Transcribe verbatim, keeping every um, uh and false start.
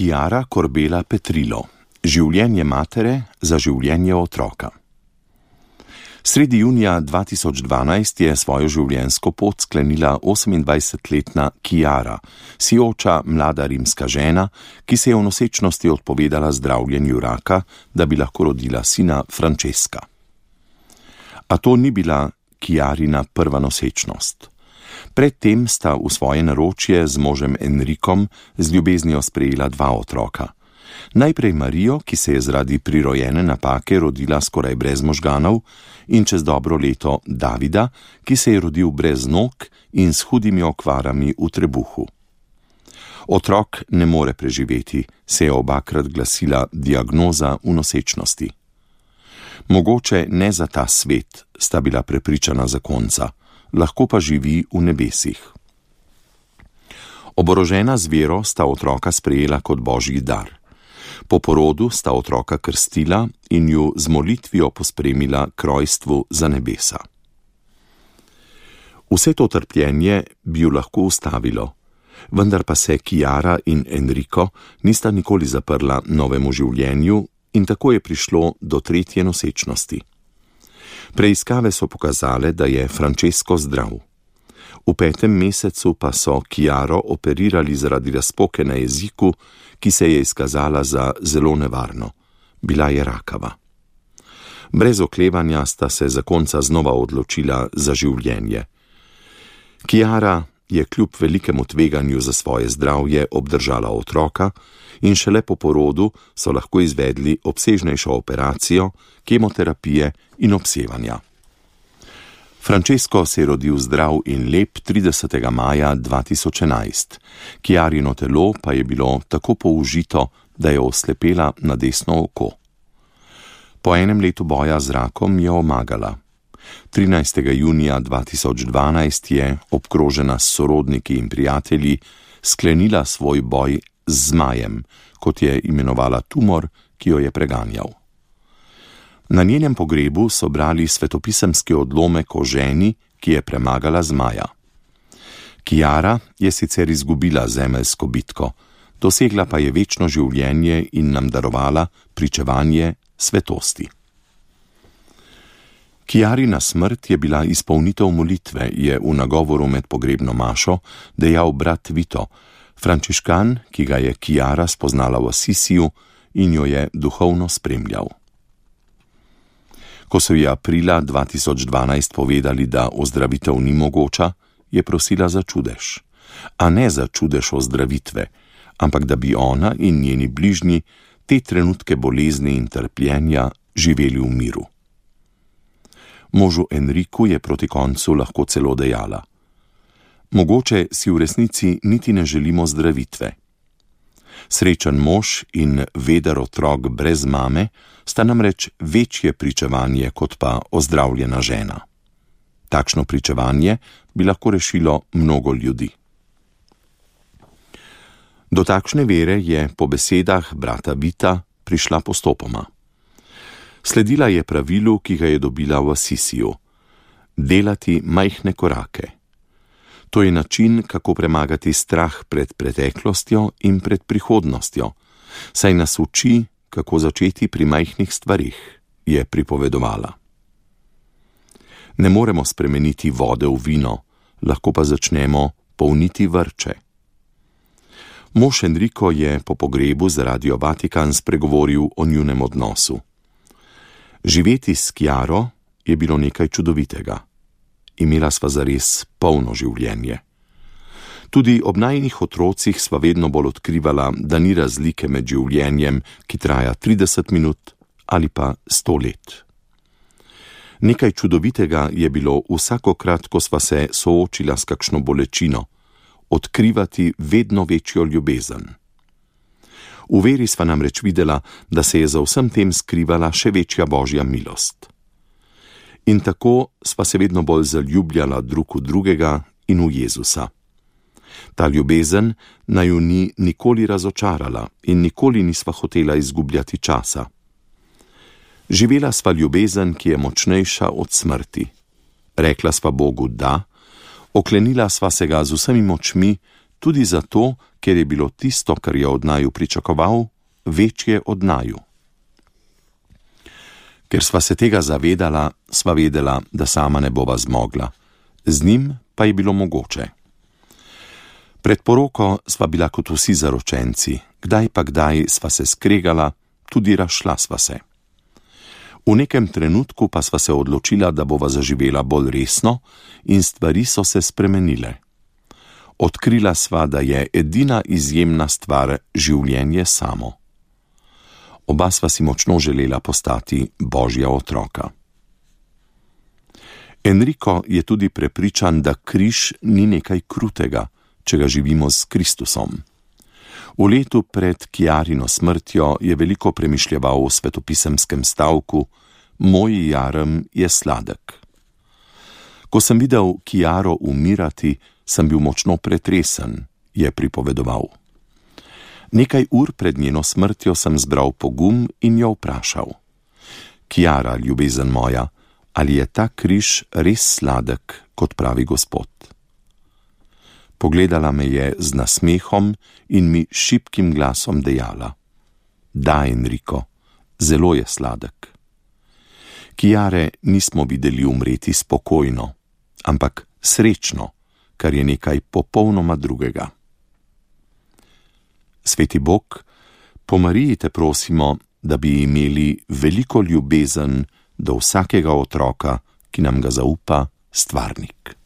Chiara Corbela Petrilo. Življenje matere za življenje otroka. Sredi junija dva tisoč dvanajst je svojo življenjsko pot sklenila osemindvajsetletna Chiara, sijoča mlada rimska žena, ki se je v nosečnosti odpovedala zdravljenju raka, da bi lahko rodila sina Francesca. A to ni bila Chiarina prva nosečnost. Predtem sta v svoje naročje z možem Enrikom z ljubeznijo sprejela dva otroka. Najprej Marijo, ki se je zaradi prirojene napake rodila skoraj brez možganov, in čez dobro leto Davida, ki se je rodil brez nog in s hudimi okvarami v trebuhu. Otrok ne more preživeti, se je obakrat glasila diagnoza v nosečnosti. Mogoče ne za ta svet, sta bila prepričana zakonca, lahko pa živi v nebesih. Oborožena z vero sta otroka sprejela kot božji dar. Po porodu sta otroka krstila in ju z molitvijo pospremila k rojstvu za nebesa. Vse to trpljenje bi ju lahko ustavilo, vendar pa se Chiara in Enrico nista nikoli zaprla novemu življenju in tako je prišlo do tretje nosečnosti. Preiskave so pokazale, da je Francesco zdrav. V petem mesecu pa so Chiaro operirali zaradi razpoke na jeziku, ki se je izkazala za zelo nevarno. Bila je rakava. Brez oklevanja sta se zakonca znova odločila za življenje. Chiara je kljub velikemu tveganju za svoje zdravje obdržala otroka in šele po porodu so lahko izvedli obsežnejšo operacijo, kemoterapije in obsevanja. Francesco se je rodil zdrav in lep tridesetega maja dva tisoč enajst. Chiarino telo pa je bilo tako použito, da je oslepela na desno oko. Po enem letu boja z rakom je omagala. trinajstega junija dva tisoč dvanajst je, obkrožena s sorodniki in prijatelji, sklenila svoj boj z zmajem, kot je imenovala tumor, ki jo je preganjal. Na njenem pogrebu so brali svetopisemski odlomek o ženi, ki je premagala zmaja. Chiara je sicer izgubila zemeljsko bitko, dosegla pa je večno življenje in nam darovala pričevanje svetosti. Chiarina smrt je bila izpolnitev molitve, je v nagovoru med pogrebno mašo dejal brat Vito, frančiškan, ki ga je Chiara spoznala v Assisiju in jo je duhovno spremljal. Ko so ji aprila dva tisoč dvanajst povedali, da ozdravitev ni mogoča, je prosila za čudež. A ne za čudež ozdravitve, ampak da bi ona in njeni bližnji te trenutke bolezni in trpljenja živeli v miru. Možu Enriku je proti koncu lahko celo dejala: mogoče si v resnici niti ne želimo zdravitve. Srečen mož in veder otrok brez mame sta namreč večje pričevanje kot pa ozdravljena žena. Takšno pričevanje bi lahko rešilo mnogo ljudi. Do takšne vere je po besedah brata Vita prišla postopoma. Sledila je pravilu, ki ga je dobila v Assisiju: delati majhne korake. To je način, kako premagati strah pred preteklostjo in pred prihodnostjo, saj nas uči, kako začeti pri majhnih stvarih, je pripovedovala. Ne moremo spremeniti vode v vino, lahko pa začnemo polniti vrče. Mož Enrico je po pogrebu za Radio Vatikan spregovoril o njunem odnosu. Živeti s Chiaro je bilo nekaj čudovitega. Imela sva zares polno življenje. Tudi ob najinih otrocih sva vedno bolj odkrivala, da ni razlike med življenjem, ki traja trideset minut ali pa sto let. Nekaj čudovitega je bilo vsakokrat, ko sva se soočila s kakšno bolečino, odkrivati vedno večjo ljubezen. V veri sva namreč videla, da se je za vsem tem skrivala še večja božja milost. In tako sva se vedno bolj zaljubljala drug v drugega in v Jezusa. Ta ljubezen naju ni nikoli razočarala in nikoli nisva hotela izgubljati časa. Živela sva ljubezen, ki je močnejša od smrti. Rekla sva Bogu da, oklenila sva se ga z vsemi močmi tudi zato, ker je bilo tisto, kar je od naju pričakoval, večje od naju. Ker sva se tega zavedala, sva vedela, da sama ne bova zmogla, z njim pa je bilo mogoče. Pred poroko sva bila kot vsi zaročenci, kdaj pa kdaj sva se skregala, tudi razšla sva se. V nekem trenutku pa sva se odločila, da bova zaživela bolj resno in stvari so se spremenile. Odkrila sva, da je edina izjemna stvar življenje samo. Oba sva si močno želela postati Božja otroka. Enrico je tudi prepričan, da križ ni nekaj krutega, če ga živimo s Kristusom. V letu pred Chiarino smrtjo je veliko premišljeval o svetopisemskem stavku Moj jarem je sladek. Ko sem videl Chiaro umirati, sem bil močno pretresen, je pripovedoval. Nekaj ur pred njeno smrtjo sem zbral pogum in jo vprašal: Chiara, ljubezen moja, ali je ta križ res sladek, kot pravi Gospod? Pogledala me je z nasmehom in mi šibkim glasom dejala: Da, Enrico, zelo je sladek. Chiare nismo videli umreti spokojno, ampak srečno, kar je nekaj popolnoma drugega. Sveti Bog, po Mariji te prosimo, da bi imeli veliko ljubezen do vsakega otroka, ki nam ga zaupa Stvarnik.